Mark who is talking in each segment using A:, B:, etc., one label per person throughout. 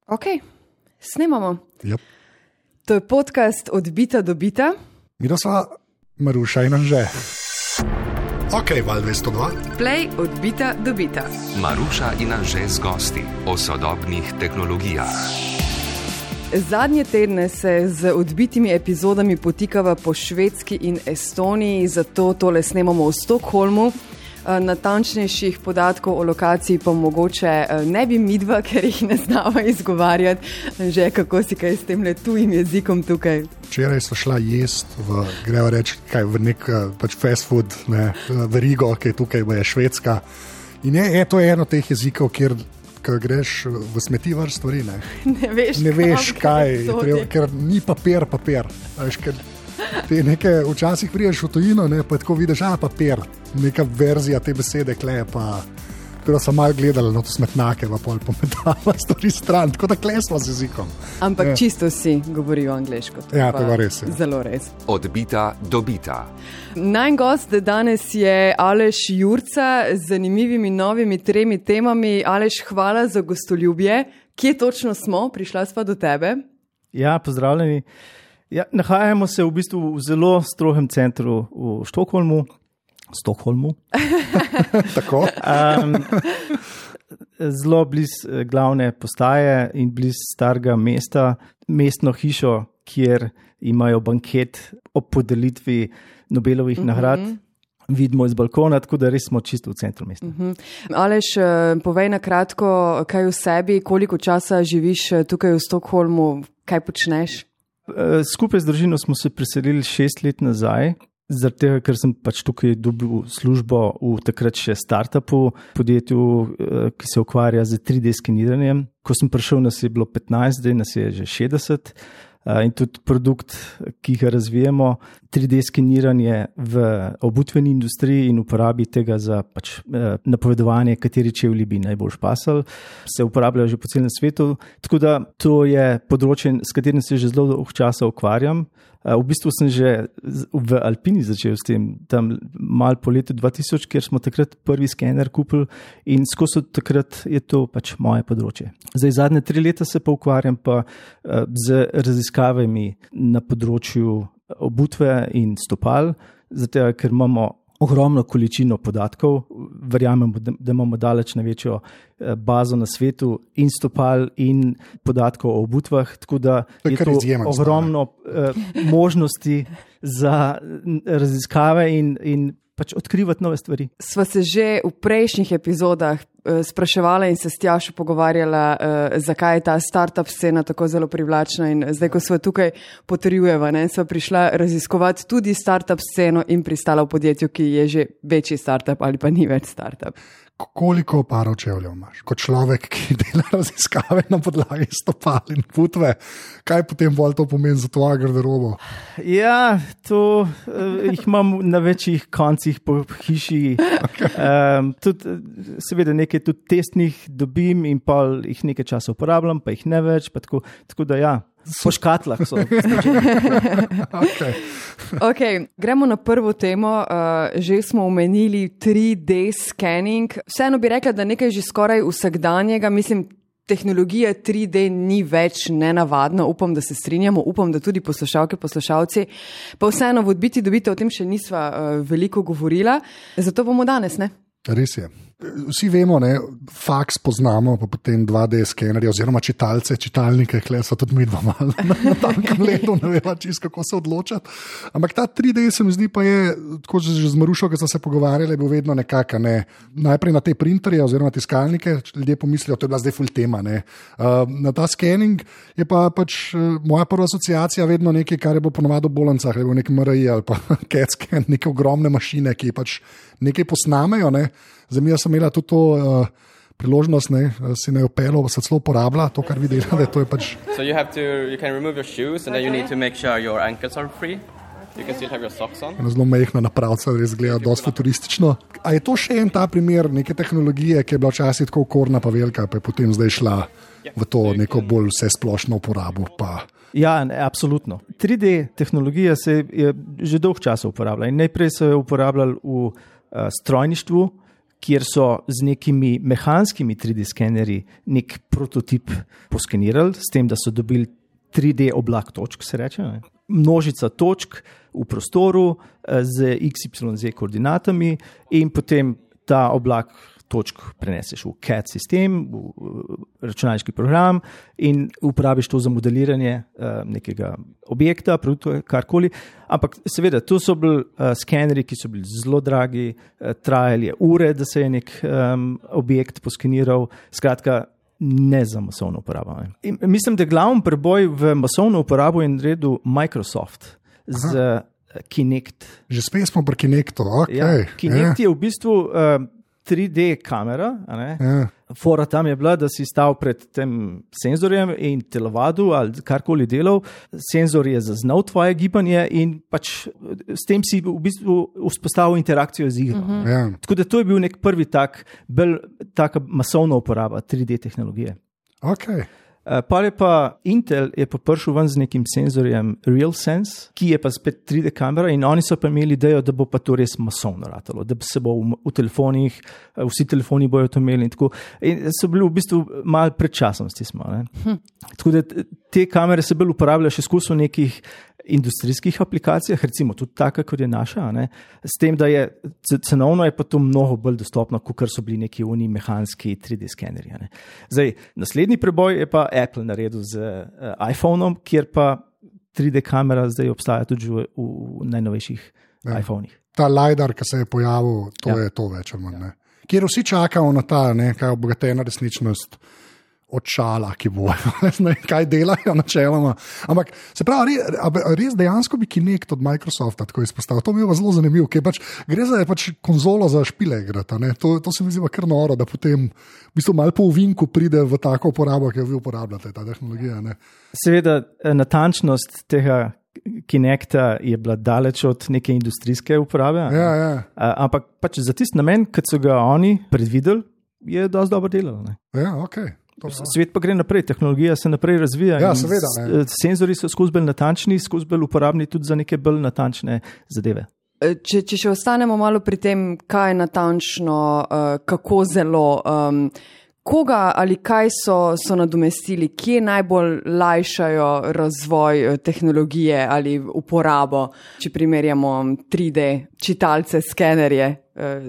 A: Ok, snemamo.
B: Yep.
A: To je podcast Od bita do bita.
B: Mi da sva Maruša in Anže. Ok, val 202.
A: Play od bita do bita.
C: Maruša in Anže z gosti o sodobnih tehnologijah.
A: Zadnje tedne se z odbitimi epizodami potikava po Švedski in Estoniji, zato tole snemamo v Stockholmu. Natančnejših podatkov o lokaciji pa mogoče ne bi midva, ker jih ne znava izgovarjati. Že kako si kaj s tem tujim jezikom tukaj?
B: Včeraj sva šla jest greva reči, v nek fast food, verigo, ki je tukaj, je Švedska. In to je eno teh jezikov, kjer greš v smetivar stvari,
A: Ne veš
B: kaj, ker ni papir. Veš, te nekaj včasih priješ v tujino, pa tako vidiš, papir, neka verzija te besede, pa tako sem malo gledala na to smetnake, pa pol pometala stvari stran, tako da klesla z jezikom.
A: Ampak čisto si govorijo angleško.
B: Ja, to je res.
A: Zelo res.
C: Od bita do bita.
A: Najn gost danes je Aleš Jurca z zanimivimi novimi 3 temami. Aleš, hvala za gostoljubje. Kje točno smo? Prišla sva do tebe.
D: Ja, pozdravljeni. Ja, nahajamo se v bistvu v zelo strogem centru v Stockholmu.
B: Tako?
D: Zelo bliz glavne postaje in bliz starega mesta, mestno hišo, kjer imajo banket ob podelitvi Nobelovih nagrad. Vidimo iz balkona, tako da res smo čisto v centru mesta.
A: Aleš, povej na kratko, kaj v sebi, koliko časa živiš tukaj v Stockholmu, kaj počneš?
D: Skupaj z družino smo se preselili 6 let nazaj, zaradi tega, ker sem tukaj dobil službo v takrat še startupu, podjetju, ki se ukvarja z 3D skeniranjem. Ko sem prišel, nas je bilo 15, zdaj nas je že 60. In tudi produkt, ki ga razvijemo, 3D skeniranje v obutveni industriji in uporabi tega za napovedovanje, kateri čevlji bi najbolj pasali, se uporabljajo že po celem svetu. Tako da to je področje, s katerim se že zelo dolgo časa ukvarjam. V bistvu sem že v Alpini začel s tem, tam malo po letu 2000, kjer smo takrat prvi skener kupili in skozi takrat je to moje področje. Zdaj zadnje 3 leta se pa ukvarjam z raziskavami na področju obutve in stopal, zato ker imamo ogromno količino podatkov, verjamemo, da imamo daleč največjo bazo na svetu in stopal in podatkov o obutvah, tako da je to ogromno možnosti za raziskave in odkrivati nove stvari.
A: Sva se že v prejšnjih epizodah spraševala in se s Tjašo pogovarjala, zakaj je ta startup scena tako zelo privlačna, in zdaj, ko sva tukaj potrjujeva, sva prišla raziskovati tudi startup sceno in pristala v podjetju, ki je že večji startup ali pa ni več startup.
B: Koliko parov čevljev imaš? Kot človek, ki dela raziskave na podlagi stopal in putve, kaj potem bolj to pomeni za tvojo garderobo?
D: Ja, to jih imam na večjih koncih po hiši. Tudi, seveda nekaj tudi testnih dobim in pa jih nekaj časa uporabljam, pa jih ne več, pa tako da ja. Po škatlah so.
A: Ok, gremo na prvo temo. Že smo omenili 3D scanning. Vseeno bi rekla, da nekaj že skoraj vsakdanjega. Mislim, tehnologija 3D ni več nenavadna. Upam, da se strinjamo. Upam, da tudi poslušalke, poslušalci. Pa vseeno v odbiti dobite, o tem še nisva veliko govorila. Zato bomo danes, ne?
B: Res je. Vsi vemo, faks poznamo, pa potem 2D skenerje oziroma čitalnike, so tudi mi dva malo na tankem ledu, ne veva čisto, kako se odločati. Ampak ta 3D se mi zdi pa je, tako že z Marušo, ki so se pogovarjali, bil vedno nekako, najprej na te printerje oziroma tiskalnike, ljudje pomislijo, to je bila zdaj full tema, Na ta scanning je pa moja prva asociacija vedno nekaj, kar je bilo ponovadi v bolnicah, je bil nek MRI ali pa CAT scan, neke ogromne mašine, ki nekaj posnamejo, Zdaj, sem imela tudi to priložnost, si ne upelo, pa se celo uporablja to, kar vi delate.
E: So you can remove your shoes and then you need to make sure your ankles are free. You can still have your socks on.
B: Zelo majhna napravca, res gleda dosti futuristično. A je to še en ta primer neke tehnologije, ki je bila včasih tako okorna pa velika, pa je potem zdaj šla v to neko bolj vsesplošno uporabo?
D: Ja, absolutno. 3D tehnologija se je že dolgo časa uporabljala in najprej se je uporabljala v strojništvu, kjer so z nekimi mehanskimi 3D skenerji nek prototip poskenirali, s tem, da so dobili 3D oblak točk, se reče, ne? Množica točk v prostoru z XYZ koordinatami in potem ta oblak točk preneseš v CAD sistem, v računalniški program in uporabiš to za modeliranje nekega objekta, produkta, karkoli. Ampak seveda, to so bili skeneri, ki so bili zelo dragi, trajali ure, da se je nek objekt poskeniral. Skratka, ne za masovno uporabo. In mislim, da glavni preboj v masovno uporabo je naredil Microsoft z Kinect.
B: Že spet smo pri Kinectu, ok.
D: Ja, Kinect je v bistvu 3D kamera. Fora tam je bila, da si stal pred tem senzorjem in telovadil ali karkoli delal. Senzor je zaznal tvoje gibanje in pač s tem si v bistvu vzpostavil interakcijo z igro. Tako da to je bil nek prvi taka masovna uporaba 3D tehnologije.
B: Okay.
D: Pa Intel je pa prišel ven z nekim senzorjem RealSense, ki je pa spet 3D kamera in oni so pa imeli idejo, da bo pa to res masovno ratalo, da se bo v telefonih, vsi telefoni bojo to imeli in tako. In so bili v bistvu malo pred časom, smo. Tako da te kamere se bolj uporabljajo še skozi v nekih industrijskih aplikacijah, recimo tudi taka, kot je naša, s tem, da je cenovno je pa to mnogo bolj dostopno, kot so bili neki mehanski 3D skenerji. Zdaj, naslednji preboj je pa Apple naredil z iPhoneom, kjer pa 3D kamera zdaj obstaja tudi v najnovejših iPhonih.
B: Ta LiDAR, ki se je pojavil, to je to več ali manj. Kjer vsi čakajo na ta, kaj obogatena resničnost očala, ki bojo, kaj delajo načeloma. Ampak se pravi, res dejansko bi Kinect od Microsofta tako izpostavil. To mi je zelo zanimivo, ker gre za konzolo za špile igrati. To se mi zdi kar noro, da potem v bistvu malo po ovinku pride v tako uporabo, ki jo vi uporabljate, ta tehnologija.
D: Seveda, natančnost tega Kinecta je bila daleč od neke industrijske uporabe. Ampak pač za tisti namen, kot so ga oni predvideli, je dosti dobro delalo.
B: Ja, ok.
D: Svet pa gre naprej, tehnologija se naprej razvija.
B: Ja, seveda.
D: Senzori so skozi bolj natančni, skozi bolj uporabni tudi za neke bolj natančne zadeve.
A: Če še ostanemo malo pri tem, kaj je natančno, kako zelo, koga ali kaj so nadomestili, kje najbolj lajšajo razvoj tehnologije ali uporabo, če primerjamo 3D čitalce, skenerje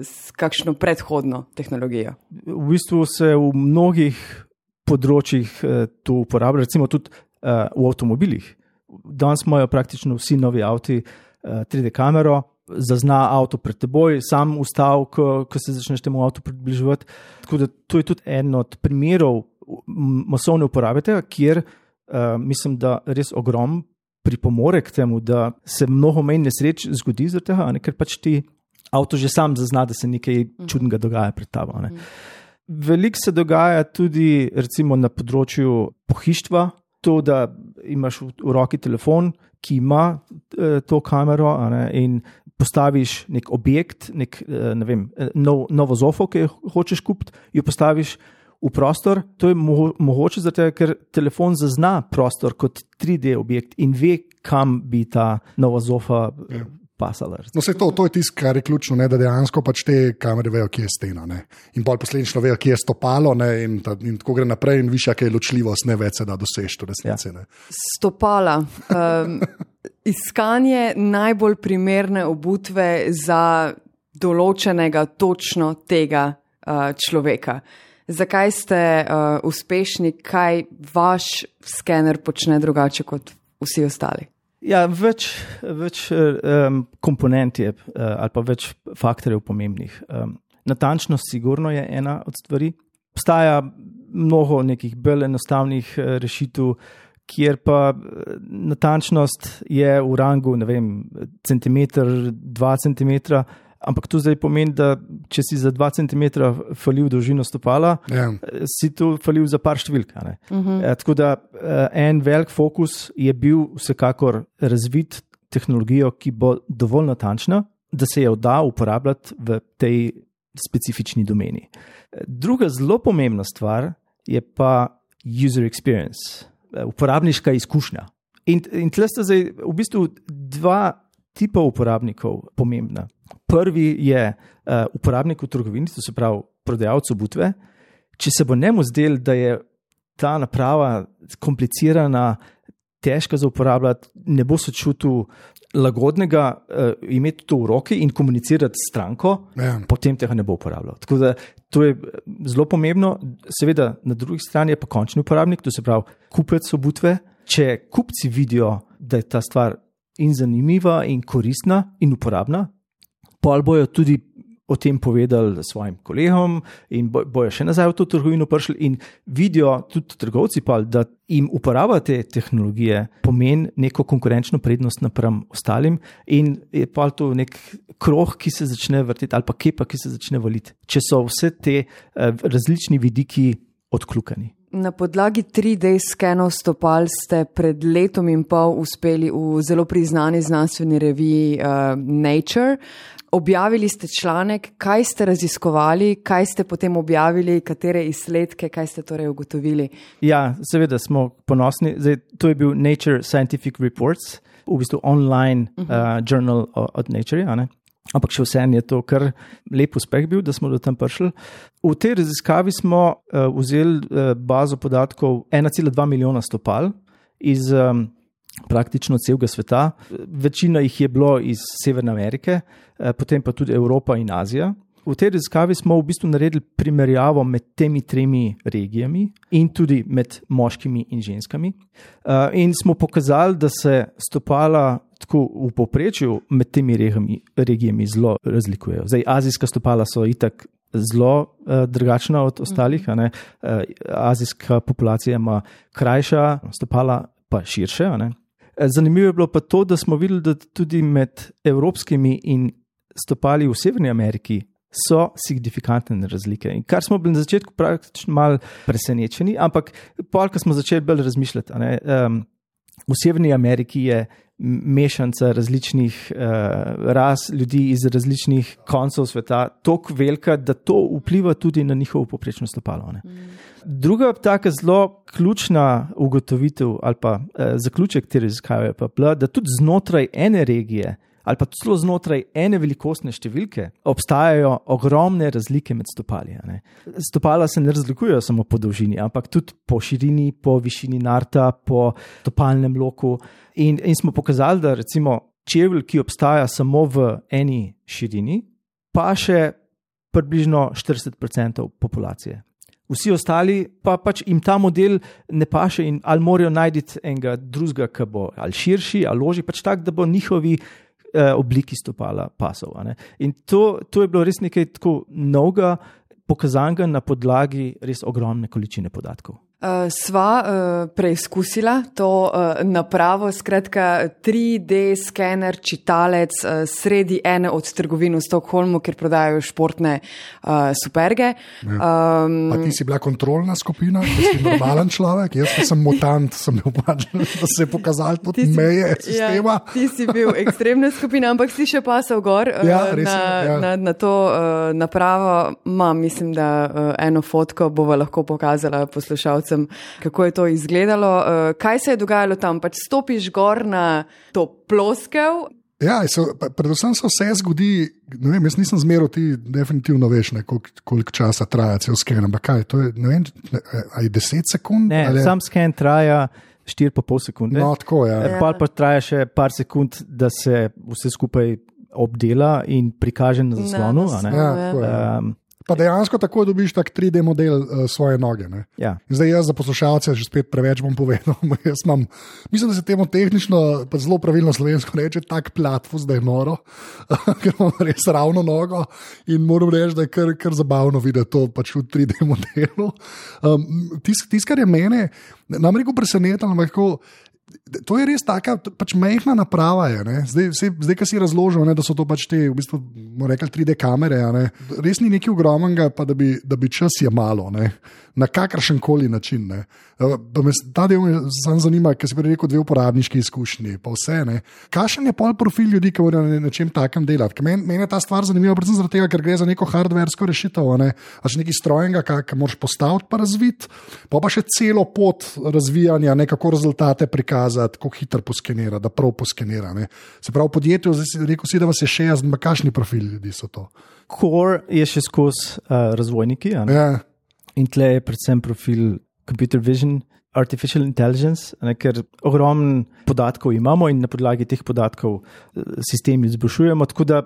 A: s kakšno predhodno tehnologijo?
D: V bistvu se v mnogih področjih to uporablja, recimo tudi v avtomobilih. Danes imajo praktično vsi novi avti 3D kamero, zazna avto pred teboj, sam ustav, ko se začneš temu avtu približevati. Tako da to je tudi en od primerov masovne uporabe tega, kjer mislim, da res ogromno pripomore k temu, da se mnogo manj nesreč zgodi zaradi tega, ker pač ti avto že sam zazna, da se nekaj čudnega dogaja pred tabo. Veliko se dogaja tudi recimo na področju pohištva, to, da imaš v roki telefon, ki ima to kamero in postaviš nek objekt, novo zofo, ki jo hočeš kupiti, jo postaviš v prostor. To je mogoče zato, ker telefon zazna prostor kot 3D objekt in ve, kam bi ta nova zofa pasala.
B: No, to je tisto, kar je ključno, da dejansko pač te kamere vejo, kje je stena. In bolj posledično vejo, kje je stopalo in tako gre naprej in višja, kaj je ločljivost, ne več se da doseči v resnici.
A: Stopala. Iskanje najbolj primerne obutve za določenega točno tega človeka. Zakaj ste uspešni, kaj vaš skener počne drugače kot vsi ostali?
D: Ja, več komponent je ali pa več faktorjev pomembnih. Natančnost sigurno je ena od stvari. Obstaja mnogo nekih bolj enostavnih rešitev, kjer pa natančnost je v rangu, centimeter, 2 centimetra, ampak to zdaj pomeni, da če si za 2 centimetra falil dolžino stopala, si tu falil za par številk. Tako da en velik fokus je bil vsekakor razvit tehnologijo, ki bo dovolj natančna, da se jo da uporabljati v tej specifični domeni. Druga zelo pomembna stvar je pa user experience, uporabniška izkušnja. In tle sta zdaj v bistvu dva tipa uporabnikov pomembna. Prvi je uporabnik v trgovini, to se pravi prodajalec obutve. Če se bo njemu zdel, da je ta naprava komplicirana, težka za uporabljati, ne bo se čutil lagodnega imeti to v roki in komunicirati s stranko, potem tega ne bo uporabljal. Tako da to je zelo pomembno. Seveda, na drugi strani je pa končni uporabnik, to se pravi kupec obutve. Če kupci vidijo, da je ta stvar in zanimiva in koristna in uporabna, pol bojo tudi o tem povedali svojim kolegom in bojo še nazaj v to trgovino prišli in vidijo tudi trgovci, da jim uporaba te tehnologije pomeni neko konkurenčno prednost napram ostalim in je pa to nek krog, ki se začne vrteti ali pa kepa, ki se začne valiti, če so vse te različni vidiki odkljukani.
A: Na podlagi 3D skenov stopal ste pred letom in pol uspeli v zelo priznani znanstveni reviji Nature. Objavili ste članek, kaj ste raziskovali, kaj ste potem objavili, katere izsledke, kaj ste torej ugotovili? Ja,
D: seveda smo ponosni. Zdaj, to je bil Nature Scientific Reports, v bistvu online journal od Nature, ne? Ampak še vseeno je to kar lep uspeh bil, da smo do tam prišli. V tej raziskavi smo vzeli bazo podatkov 1,2 milijona stopal iz praktično celega sveta. Večina jih je bilo iz Severne Amerike, potem pa tudi Evropa in Azija. V tej raziskavi smo v bistvu naredili primerjavo med temi 3 regijami in tudi med moškimi in ženskami. In smo pokazali, da se stopala tako v povprečju med temi regijami zelo razlikujejo. Zdaj, azijska stopala so itak zelo drugačna od ostalih. Ne? Azijska populacija ima krajša stopala, pa širše. Ne? Zanimivo je bilo pa to, da smo videli, da tudi med evropskimi in stopali v Severni Ameriki so signifikantne razlike. In kar smo bili na začetku praktično malo presenečeni, ampak pol, ko smo začeli bolj razmišljati, v Severni Ameriki je mešanca različnih ras, ljudi iz različnih koncev sveta, toliko velika, da to vpliva tudi na njihovo povprečno stopalo. Druga taka zelo ključna ugotovitev ali pa zaključek te raziskave pa bila, da tudi znotraj ene regije ali pa celo znotraj ene velikostne številke obstajajo ogromne razlike med stopali. Stopala se ne razlikujejo samo po dolžini, ampak tudi po širini, po višini narta, po stopalnem loku. In smo pokazali, da recimo čevelj, ki obstaja samo v eni širini, pa še približno 40% populacije. Vsi ostali pa pač jim ta model ne paše in ali morajo najti enega drugega, ki bo ali širši, ali ložji, pač tak, da bo njihovi obliki stopala pasov. In to je bilo res nekaj tako novega, pokazanega na podlagi res ogromne količine podatkov.
A: Sva preizkusila to napravo, skratka 3D skener, čitalec sredi ene od trgovin v Stockholmu, kjer prodajajo športne superge.
B: Pa ti si bila kontrolna skupina, ti si normalen človek, jaz sem mutant, sem bil pač, da se je pokazal tudi meje sistema.
A: Ja, ti si bil ekstremna skupina, ampak si še pasal gor na to napravo. Mislim, da eno fotko bova lahko pokazala poslušalcem, kako je to izgledalo. Kaj se je dogajalo tam? Pač stopiš gor na to ploskev?
B: Ja, predvsem se vse zgodi, ne vem, jaz nisem zmeral, ti definitivno veš, koliko časa traja cel sken, ampak kaj, to je, ne vem, ali 10 sekund?
D: Ne, sam sken traja 4,5 sekunde.
B: No, tako, ja.
D: Pa traja še par sekund, da se vse skupaj obdela in prikaže na zaslonu.
B: Ja, tako, ja. Pa dejansko tako dobiš tak 3D model svoje noge.
D: Ja.
B: Zdaj jaz za poslušalce že spet preveč bom povedal. Mislim, da se temu tehnično, pa zelo pravilno slovensko reče, tak platfus, da je noro, ker imam res ravno nogo in moram reči, da je kar zabavno videti to pač v 3D modelu. Tis, kar je mene, nam rekel presenetilo, ampak to je res taka pač mehna naprava. Zdaj, ko si razložil, da so to pač te, v bistvu, rekli 3D kamere, res ni nekaj ogromnega, pa da bi čas je malo, na kakršen koli način. Ta del me zanima, ker si prej rekel 2 uporabniški izkušnji, pa vse. Kakšen je pol profil ljudi, ki morajo na čem takem delati? Meni je ta stvar zanimiva, predvsem zaradi tega, ker gre za neko hardversko rešitev, pač nekaj strojenega, kar moraš postaviti pa razviti, pa še celo pot razvijanja, kako rezultate prikazati. pokazati, kako hitro poskenira, da prav poskenira. Ne. Se pravi, podjetje, rekel si, da vas je 60, kakšni profili ljudi so to?
D: Core je še skozi razvojniki, in tle je predvsem profil computer vision, artificial intelligence, ker ogromno podatkov imamo in na podlagi teh podatkov sistemi izboljšujemo, tako da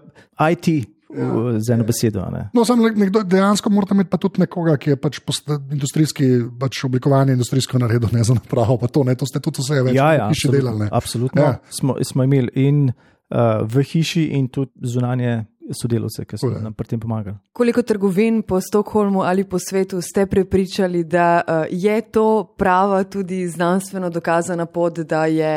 D: IT z eno besedo.
B: No, samo nekdo dejansko mora imeti pa tudi nekoga, ki je pač industrijski, pač oblikovanje industrijsko naredil, ne za napravo, pa to, ne, to ste tudi vse več v hiši delali.
D: Absolutno, smo imeli in v hiši in tudi zunanje sodelavce, ki so nam pri tem pomagali.
A: Koliko trgovin po Stockholmu ali po svetu ste prepričali, da je to prava tudi znanstveno dokazana pot, da je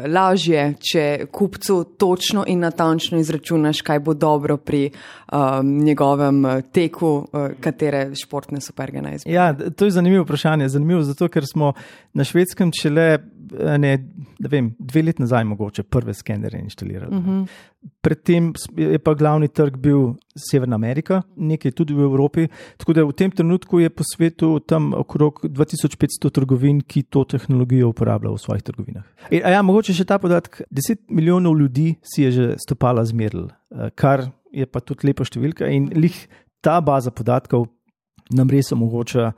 A: lažje, če kupcu točno in natančno izračunaš, kaj bo dobro pri njegovem teku, katere športne superge naj izbere?
D: Ja, to je zanimivo vprašanje. Zanimivo zato, ker smo na Švedskem šele 2 leti nazaj mogoče prve skenere inštalirali. Predtem je pa glavni trg bil Severna Amerika, nekaj tudi v Evropi, tako da v tem trenutku je po svetu tam okrog 2500 trgovin, ki to tehnologijo uporablja v svojih trgovinah. Mogoče še ta podatek, 10 milijonov ljudi si je že stopala zmeril, kar je pa tudi lepa številka in ta baza podatkov nam res omogoča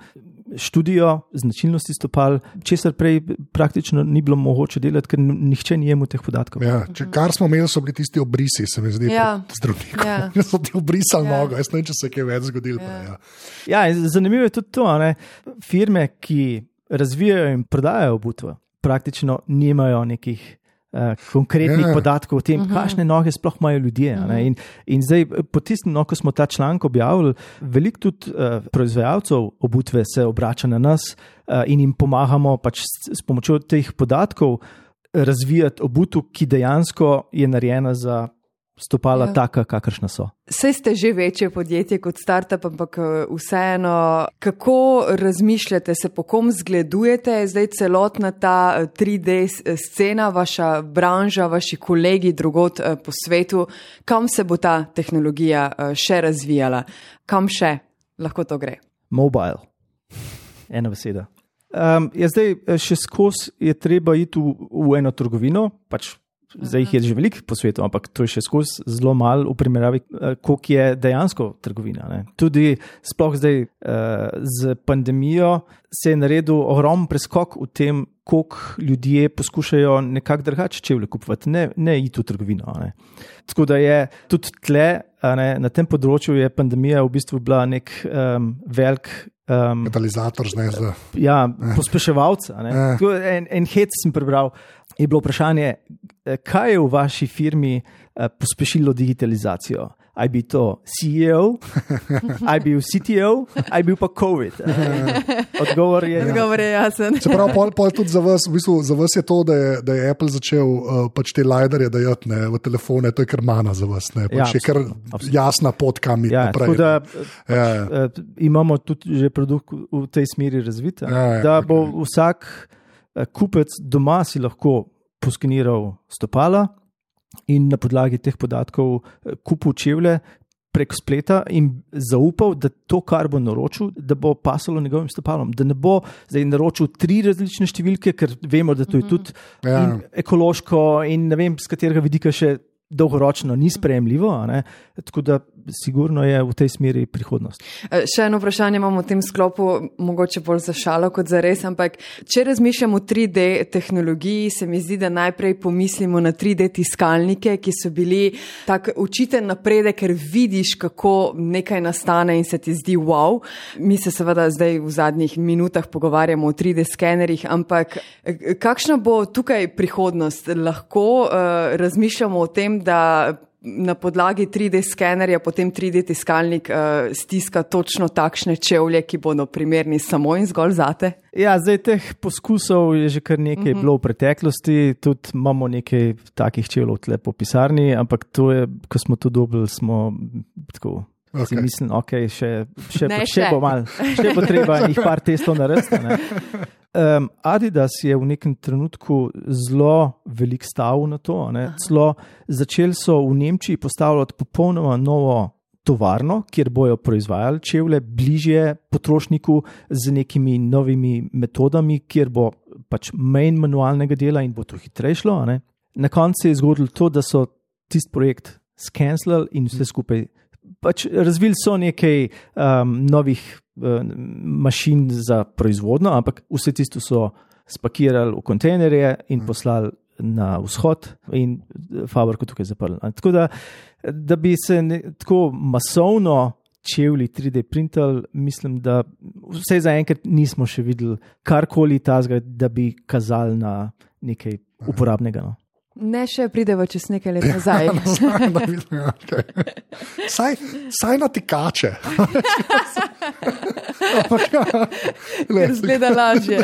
D: študijo značilnosti stopal, česar prej praktično ni bilo mogoče delati, ker nihče ni imel teh podatkov.
B: Ja, kar smo imeli, so bili tisti obrisi, se mi zdi, zdravnikov. Ja. So ti obrisali nogo, jaz ne vem, če se je kaj več zgodilo.
D: Zanimivo je tudi to, firme, ki razvijajo in prodajajo obutve, praktično nimajo nekih konkretnih podatkov o tem, kakšne noge sploh imajo ljudje. In zdaj, po tistem, ko smo ta članek objavili, veliko tudi proizvajalcev obutve se obrača na nas in jim pomagamo pač s pomočjo teh podatkov razvijati obutev, ki dejansko je narejena za stopala taka, kakršna so.
A: Saj ste že večje podjetje kot startup, ampak vseeno, kako razmišljate, se po kom zgledujete, zdaj celotna ta 3D scena, vaša branža, vaši kolegi drugod po svetu, kam se bo ta tehnologija še razvijala? Kam še lahko to gre?
D: Mobile. Ena beseda. Zdaj še skozi je treba iti v eno trgovino, pač zdaj jih je že veliko po svetu, ampak to je še skozi zelo malo v primerjavi, koliko je dejansko trgovina. Tudi sploh zdaj z pandemijo se je naredil ogromen preskok v tem, koliko ljudje poskušajo nekako drugače čevlje kupovati, ne iti v trgovino. Tako da je tudi tle, na tem področju je pandemija v bistvu bila nek velik
B: katalizator zneza.
D: Pospeševalca. En hec sem prebral, je bilo vprašanje, kaj je v vaši firmi pospešilo digitalizacijo? Aj bi to CEO, aj bil CTO, aj bil pa COVID. Odgovor je
A: jasen.
B: Se pravi, pol tudi za vas, v bistvu, za vas je to, da je Apple začel pač te liderje dajati v telefone, to je kar mana za vas. Pač je kar jasna pot, kam iti naprej.
D: Tako da imamo tudi že produkt v tej smeri razvit, da bo vsak kupec doma si lahko poskeniral stopala in na podlagi teh podatkov kupil čevlje prek spleta in zaupal, da to, kar bo naročil, da bo pasalo njegovim stopalom. Da ne bo zdaj naročil 3 različne številke, ker vemo, da to je tudi ekološko in ne vem, z katerega vidika še dolgoročno ni sprejemljivo, tako da sigurno je v tej smeri prihodnost.
A: Še eno vprašanje imamo v tem sklopu, mogoče bolj za šalo kot za res, ampak če razmišljamo o 3D tehnologiji, se mi zdi, da najprej pomislimo na 3D tiskalnike, ki so bili tak učiten napredek, ker vidiš, kako nekaj nastane in se ti zdi wow. Mi se seveda zdaj v zadnjih minutah pogovarjamo o 3D skenerjih, ampak kakšna bo tukaj prihodnost? Lahko razmišljamo o tem, da na podlagi 3D skenerja potem 3D tiskalnik stiska točno takšne čevlje, ki bodo primerni samo in zgolj zate?
D: Ja, zdaj teh poskusov je že kar nekaj bilo v preteklosti, tudi imamo nekaj takih čevljev tle po pisarni, ampak to je, ko smo to dobili, smo tako... Si mislim, še bo malo, še bo treba jih par testov narediti. Adidas je v nekem trenutku zelo velik stavil na to. Začeli so v Nemčiji postavljati popolnoma novo tovarno, kjer bojo proizvajali čevlje bližje potrošniku z nekimi novimi metodami, kjer bo pač manj manualnega dela in bo to hitreje šlo. Na koncu se je zgodilo to, da so tisti projekt skenslali in vse skupaj. Pač razvili so nekaj novih mašin za proizvodno, ampak vse tisto so spakirali v kontejnerje in poslali na vzhod in fabriko tukaj zaprli. Tako da bi se tako masovno čevlji 3D printali, mislim, da vse zaenkrat nismo še videli karkoli tazga, da bi kazali na nekaj uporabnega. No.
A: Ne, še prideva čez nekaj let nazaj.
B: Saj na tikače.
A: Zgleda lažje.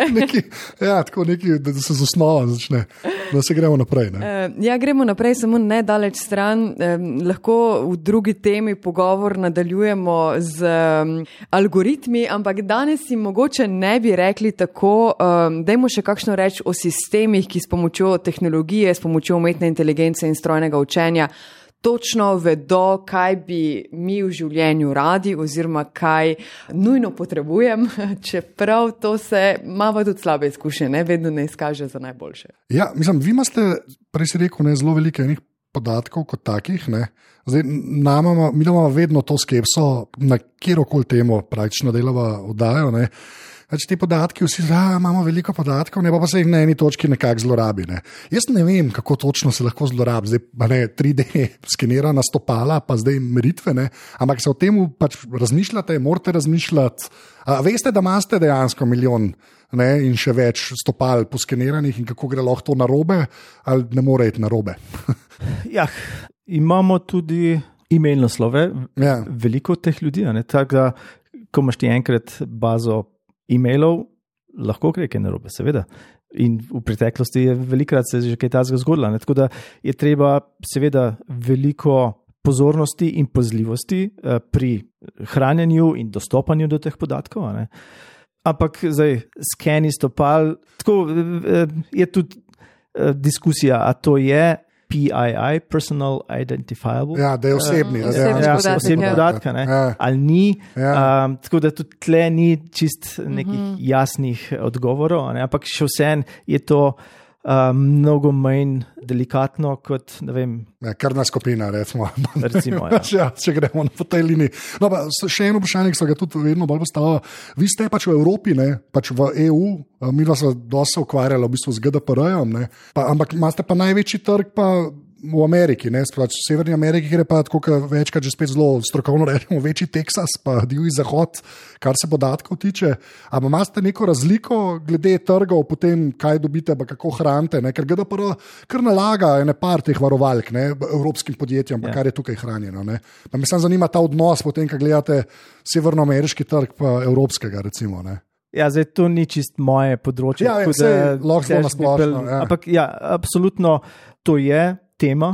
B: Tako neki, da se z osnova začne, da se gremo naprej.
A: Gremo naprej, samo nedaleč stran. Lahko v drugi temi pogovor nadaljujemo z algoritmi, ampak danes si mogoče ne bi rekli tako, dajmo še kakšno reči o sistemih, ki s pomočjo tehnologije, s pomočjo umetne inteligence in strojnega učenja točno vedo, kaj bi mi v življenju radi oziroma kaj nujno potrebujem, čeprav to se ima tudi slabe izkušnje, ne vedno ne izkaže za najboljše. Ja,
B: mislim, vi imate, prej si rekel, zelo veliko enih podatkov kot takih, ne. Zdaj, mi imamo vedno to skepso, na kjerokoli temo praktično delava oddajo, ne. Te podatki, vsi imamo veliko podatkov, pa se jih na eni točki nekako zlorabi. Ne. Jaz ne vem, kako točno se lahko zlorabi. Zdaj 3D skenirana stopala, pa zdaj meritve, ne. Ampak se o tem pač razmišljate, morate razmišljati. Veste, da imate dejansko milijon, ne, in še več stopal poskeniranih in kako gre lahko to narobe, ali ne more iti narobe?
D: Imamo tudi e-mail naslove, veliko teh ljudi, tako da, ko imaš ti enkrat bazo e-mailov, lahko gre kaj narobe, seveda. In v preteklosti je velikrat se že kaj takega zgodilo. Tako da je treba seveda veliko pozornosti in pazljivosti pri hranjenju in dostopanju do teh podatkov. Ampak zdaj skeni stopal, tako je tudi diskusija, a to je PII, Personal Identifiable.
B: Da je osebni.
D: Osebni podatek, ali ni. Tako da tudi tle ni čist nekih jasnih odgovorov, ampak še vsem je to mnogo manj delikatno kot, ne vem.
B: Krvna skupina, recimo.
D: Če
B: gremo po tej liniji. No, pa še eno vprašanje, ki so ga tudi vedno bolj postavili. Vi ste pač v Evropi, pač v EU, mi vas dosti ukvarjali v bistvu z GDPR-jem, ampak imate pa največji trg pa v Ameriki, v Severni Ameriki, kjer je pa tako večkrat že spet zelo strokovno rečemo, večji Teksas, pa divji zahod, kar se podatkov tiče. Ampak imate neko razliko glede trgov, potem kaj dobite, pa kako hranite, ker GDPR kar nalaga ene par teh varovalk evropskim podjetjem, kar je tukaj hranjeno. Pa me samo zanima ta odnos, potem, ko gledate severnoameriški trg, pa evropskega, recimo.
D: Zdaj to ni čist moje področje.
B: Lahko zelo nasplošno.
D: Ampak absolutno to je tema,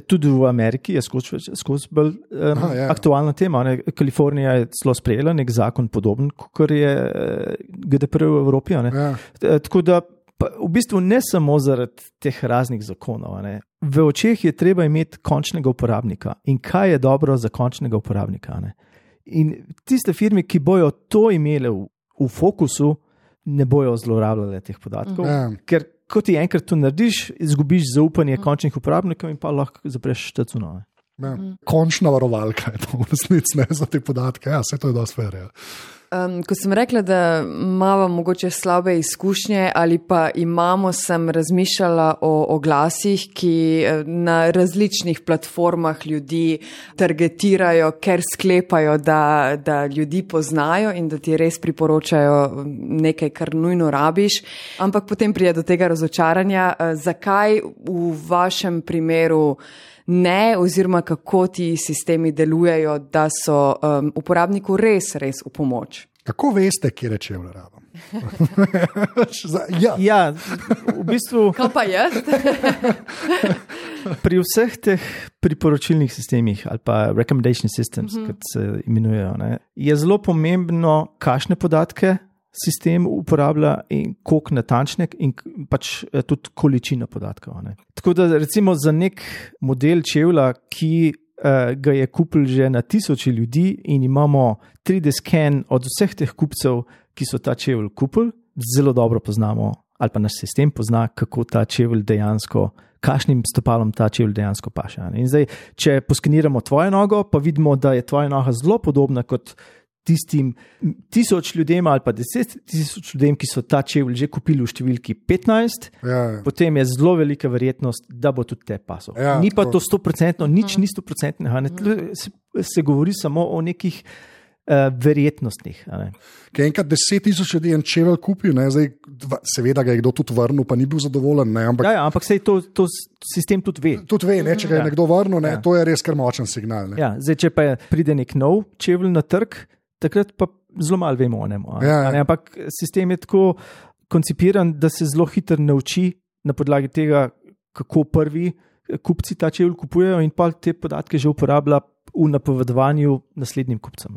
D: tudi v Ameriki je skozi bolj aktualna tema. Kalifornija je celo sprejela nek zakon podoben, kot je GDPR v Evropi. Tako da v bistvu ne samo zaradi teh raznih zakonov. V očeh je treba imeti končnega uporabnika in kaj je dobro za končnega uporabnika. In tiste firme, ki bojo to imele v fokusu, ne bojo zlorabljale teh podatkov, ker ko ti enkrat to narediš, izgubiš zaupanje končnih uporabnikov in pa lahko zapreš štacuno.
B: Končna varovalka je to v resnici za te podatke. Vse to je dosti fair.
A: Ko sem rekla, da imamo mogoče slabe izkušnje ali pa sem razmišljala o oglasih, ki na različnih platformah ljudi targetirajo, ker sklepajo, da ljudi poznajo in da ti res priporočajo nekaj, kar nujno rabiš. Ampak potem pride do tega razočaranja. Zakaj v vašem primeru ne, oziroma kako ti sistemi delujejo, da so uporabniku res v pomoč?
B: Kako veste, kje čevlje rabim?
D: V bistvu.
A: Kaj pa jaz?
D: Pri vseh teh priporočilnih sistemih ali pa recommendation systems, kot se imenujejo, je zelo pomembno, kakšne podatke sistem uporablja in koliko natančne in pač tudi količina podatkov. Tako da recimo za nek model čevlja, ki ga je kupil že na tisoče ljudi in imamo 3D scan od vseh teh kupcev, ki so ta čevelj kupili, zelo dobro poznamo ali pa naš sistem pozna, kako ta čevelj dejansko, kakšnim stopalom ta čevelj dejansko paše. In zdaj, če poskeniramo tvojo nogo, pa vidimo, da je tvoja noga zelo podobna kot tistim 1000 ljudem ali pa 10.000 ljudem, ki so ta čevelj že kupili v številki 15, potem je zelo velika verjetnost, da bo tudi te pasal. Ni pa to 100%, nič ni 100%. Se govori samo o nekih verjetnostnih.
B: Ker enkrat 10.000 ljudi en čevelj kupil, zdaj, seveda ga je kdo tudi vrnil, pa ni bil zadovoljen.
D: Ampak sej to sistem tudi ve.
B: Tudi ve, če ga je nekdo vrnil, to je res kar močen signal.
D: Zdaj, če pa pride nek nov čevelj na trg, takrat pa zelo malo vemo o njemu. Ampak sistem je tako koncipiran, da se zelo hitro nauči na podlagi tega, kako prvi kupci ta čevelj kupujejo in pa te podatke že uporablja v napovedovanju naslednjim kupcem.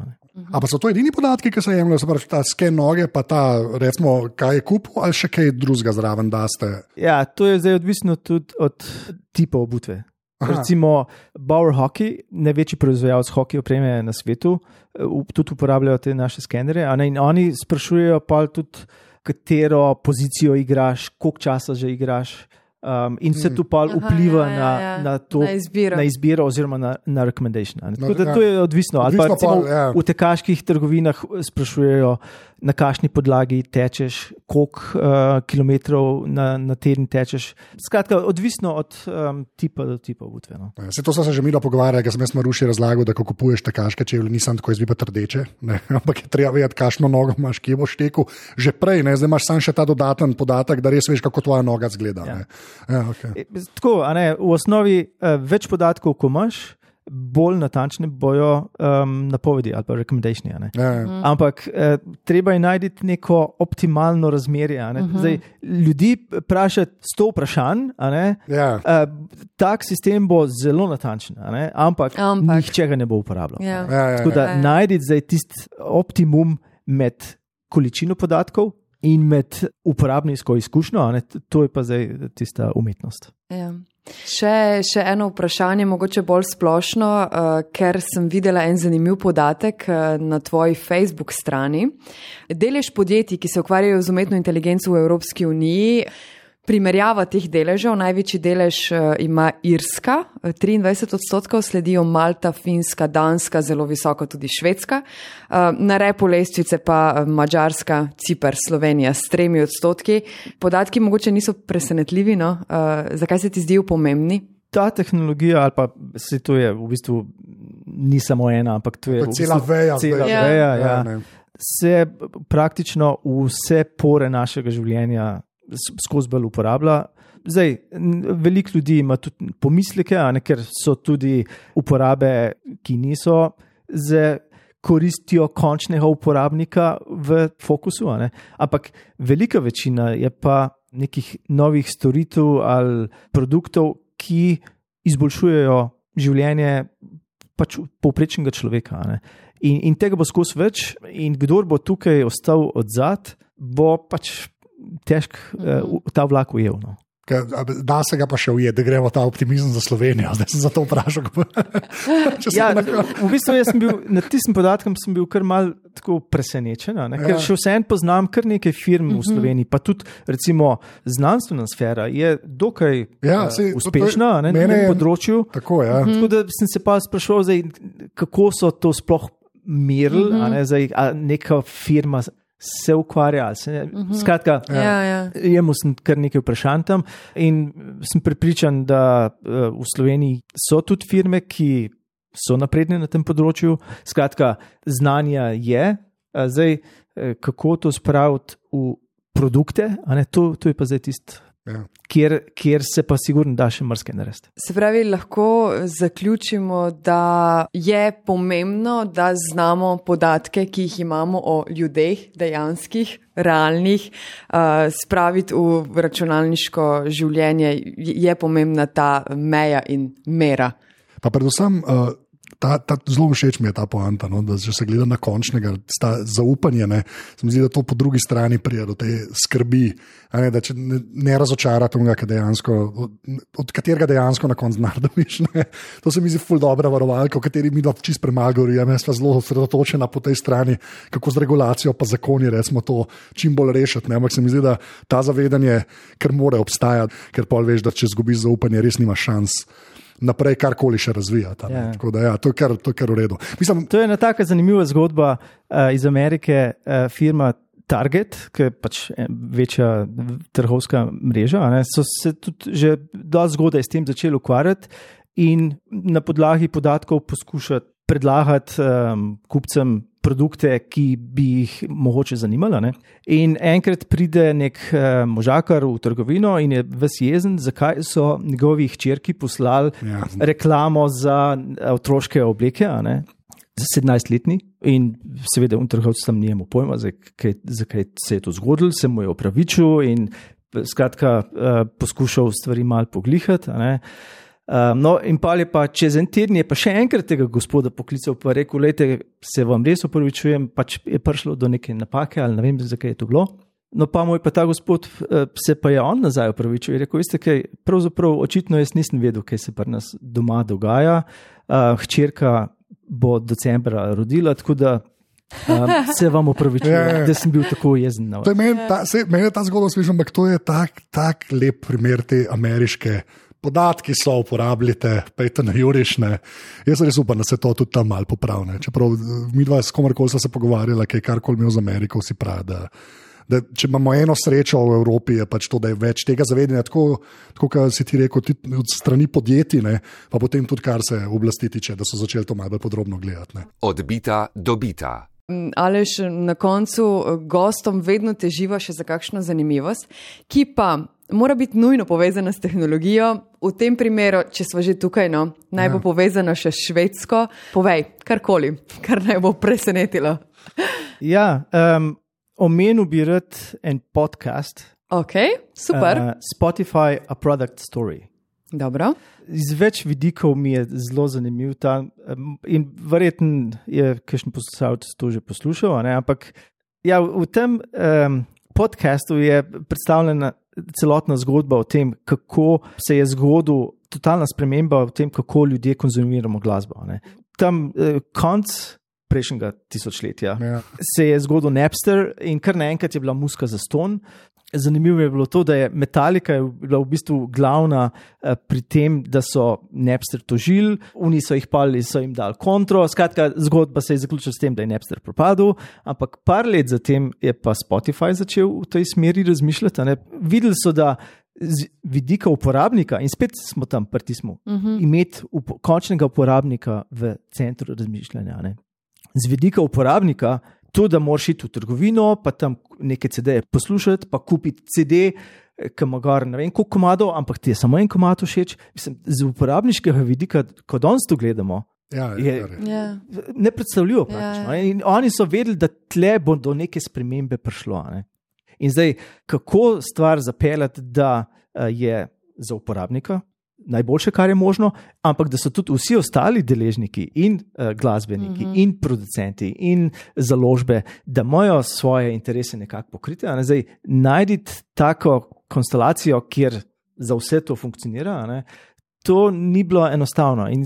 B: A pa so to edini podatki, ki se jemljajo, se pravi ta sken noge, pa ta, recimo, kaj je kupil, ali še kaj drugega zraven daste?
D: Ja, to je zdaj odvisno tudi od tipa obutve. Recimo Bauer Hockey, največji proizvajalec hokej opreme na svetu, tudi uporabljajo te naše skenere, in oni sprašujejo pa tudi, katero pozicijo igraš, koliko časa že igraš, in vse to pa vpliva na to, na izbiro oziroma na recommendation. To je odvisno. Ali pa recimo v tekaških trgovinah sprašujejo, na kakšni podlagi tečeš, koliko kilometrov na teden tečeš. Skratka, odvisno od tipa do tipa obutve.
B: To so se že milo pogovarjali, ker sem jaz Maruši razlagal, da ko kupuješ tekaške čevlje, nisem tako izbi pa trdeče, ampak je treba vedeti, kakšno nogo imaš, kje boš tekel. Že prej, zdaj imaš samo še ta dodaten podatek, da res veš, kako tvoja noga izgleda.
D: Okay. Tako, v osnovi več podatkov, ko imaš, bolj natančne bojo napovedi ali pa recommendationi. Ampak treba je najti neko optimalno razmerje. Zdaj, ljudi vprašati 100 vprašanj, tak sistem bo zelo natančen, ampak nihče ga ne bo uporabljal. Tako da najti zdaj tisti optimum med količino podatkov in med uporabniško izkušnjo, to je pa zdaj tista umetnost.
A: Še eno vprašanje, mogoče bolj splošno, ker sem videla en zanimiv podatek na tvoji Facebook strani. Delež podjetij, ki se ukvarjajo z umetno inteligenco v Evropski uniji, primerjava teh deležev, največji delež ima Irska, 23%, sledijo Malta, Finska, Danska, zelo visoko tudi Švedska, na repu lestvice pa Madžarska, Ciper, Slovenija s 3%. Podatki mogoče niso presenetljivi, no? Zakaj se ti zdijo pomembni?
D: Ta tehnologija, ali pa se to je v bistvu ni samo ena, ampak to je
B: cela veja.
D: Se praktično vse pore našega življenja skozi bolj uporablja. Zdaj, veliko ljudi ima tudi pomisleke, ker so tudi uporabe, ki niso z koristjo končnega uporabnika v fokusu. Ampak velika večina je pa nekih novih storitev ali produktov, ki izboljšujejo življenje pač povprečnega človeka. In tega bo skozi več, in kdor bo tukaj ostal odzad, bo pač težko ta vlak ujel.
B: Da se ga pa še ujeti, da gremo ta optimizem za Slovenijo. Zdaj sem za to vprašal.
D: V bistvu jaz sem bil, nad tistim podatkom sem bil kar mal tako presenečen, ker še vseeno poznam kar nekaj firm v Sloveniji, pa tudi recimo znanstvena sfera je dokaj uspešna na tem področju.
B: Tako
D: da sem se pa sprašal, kako so to sploh merili, a neka firma se ukvarja. Skratka, jemu sem kar nekaj vprašanj tam in sem prepričan, da v Sloveniji so tudi firme, ki so napredne na tem področju. Skratka, znanja je. Zdaj, kako to spraviti v produkte, to je pa zdaj tisto, kjer se pa sigurno da še marsikaj narediti.
A: Se pravi, lahko zaključimo, da je pomembno, da znamo podatke, ki jih imamo o ljudeh, dejanskih, realnih, spraviti v računalniško življenje. Je pomembna ta meja in mera.
B: Pa predvsem zelo všeč mi je ta poanta, no, da če se gleda na končnega, zaupanje, ne, se mi zdi, da to po drugi strani pride do te skrbi, ne, da če ne razočara tega, od katerega dejansko na koncu nardoviš. To se mi zdi ful dobra varovalka, o kateri mi dva čist premagovori, jaz sva zelo osredotočena po tej strani, kako z regulacijo pa zakoni recimo to čim bolj rešiti. Ne? Ampak se mi zdi, da ta zavedanje, ker mora obstajati, ker pol veš, da če zgubiš zaupanje, res nima šans naprej karkoli še razvijati. Tako da to je kar v redu. Mislim,
D: to je ena taka zanimiva zgodba iz Amerike, firma Target, ki je pač večja trgovska mreža, so se tudi že dosti zgodaj s tem začeli ukvarjati in na podlagi podatkov poskušati predlagati kupcem produkte, ki bi jih mogoče zanimala. Ne? In enkrat pride nek možakar v trgovino in je ves jezen, zakaj so njegovi hčerki poslali reklamo za otroške obleke, za 17-letni. In seveda trgovec tam ni imel pojma, zakaj se je to zgodilo, se mu je opravičil in skratka poskušal stvari malo poglihati. No, in pa je pa čez en teden je pa še enkrat tega gospoda poklical pa rekel, lejte, se vam res opravičujem, pač je prišlo do neke napake ali ne vem, zakaj je to bilo. No, pa mu je pa ta gospod, se pa je on nazaj opravičil in rekel, veste kaj, pravzaprav očitno jaz nisem vedel, kaj se pri nas doma dogaja. Hčerka bo decembra rodila, tako da se vam opravičujem, da sem bil tako jezen.
B: Meni je ta zgodba slišim, ampak to je tak lep primer te ameriške podatki so, uporabljite, pejte na jurišne. Jaz res upam, da se to tudi tam malo popravne. Čeprav mi dva s komarkoli se pogovarjala, kaj karkoli imel z Ameriko, vsi pravi, da če imamo eno srečo v Evropi, je pač to, da je več tega zavedanja, tako kot si ti rekel, od strani podjetij, pa potem tudi kar se oblasti tiče, da so začeli to malo podrobno gledati.
C: Odbita dobita.
A: Aleš, na koncu gostom vedno teživa še za kakšno zanimivost, ki pa mora biti nujno povezana s tehnologijo. V tem primeru, če smo že tukaj, naj bo povezana še s Švedsko. Povej, karkoli, kar naj bo presenetilo.
D: Ja, omenil bi rad en podcast.
A: Ok, super.
D: Spotify, A Product Story.
A: Dobro.
D: Iz več vidikov mi je zelo zanimiv ta in verjetno je kakšen poslušalec to že poslušal, ampak ja, v tem podcastu je predstavljena celotna zgodba o tem, kako se je zgodila totalna sprememba v tem, kako ljudje konzumiramo glasbo. Tam konc prejšnjega tisočletja se je zgodil Napster in kar naenkrat je bila muzika zastonj. Zanimivo je bilo to, da je Metallica bila v bistvu glavna pri tem, da so Napster tožili, oni so jih palili, so jim dali kontro, skratka zgodba se je zaključila s tem, da je Napster propadel, ampak par let zatem je pa Spotify začel v tej smeri razmišljati. Videli so, da z vidika uporabnika, in spet smo tam pritisnili, imeti končnega uporabnika v centru razmišljanja. Z vidika uporabnika, to, da moraš iti v trgovino, pa tam neke CD-je poslušati, pa kupiti CD, ki ima gor ne vem koliko komadov, ampak ti je samo en komad všeč. Mislim, z uporabniškega vidika, ko danes to gledamo, je nepredstavljivo praktično. In oni so vedeli, da tle bo do neke spremembe prišlo. In zdaj, kako stvar zapeljati, da je za uporabnika najboljše, kar je možno, ampak da so tudi vsi ostali deležniki in glasbeniki in producenti in založbe, da imajo svoje interese nekako pokrite. Zdaj, najditi tako konstelacijo, kjer za vse to funkcionira, to ni bilo enostavno. In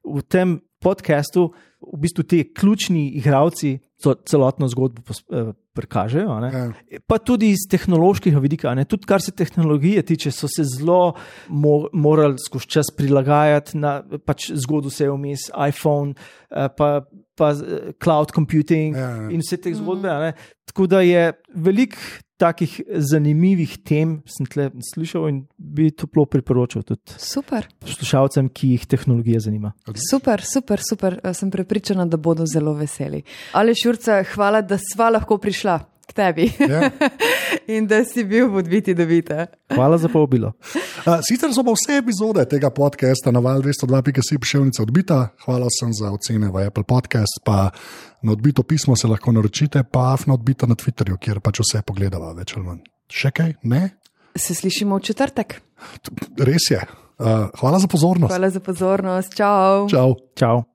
D: v tem podcastu v bistvu ti ključni igralci celotno zgodbo prikažejo, pa tudi iz tehnološkega vidika. Tudi kar se tehnologije tiče, so se zelo morali skozi čas prilagajati, pač zgodil se je vmes iPhone, pa cloud computing in vse te zgodbe. Tako da je veliko takih zanimivih tem, sem tle slišal in bi toplo priporočal tudi poslušalcem, ki jih tehnologija zanima.
A: Super. Sem prepričana, da bodo zelo veseli. Aleš Jurca, hvala, da sva lahko prišla k tebi in da si bil v Odbiti dobita.
D: Hvala za povabilo.
B: Sicer so pa vse epizode tega podcasta na val202.si /Odbita Odbita. Hvala vsem za ocene v Apple Podcast, pa na Odbito pismo se lahko naročite, pa na Odbita na Twitterju, kjer pač vse pogledava več ali manj. Še kaj? Ne?
A: Se slišimo v četrtek.
B: Res je. Hvala za pozornost.
A: Hvala za pozornost. Čau.
B: Čau.
D: Čau.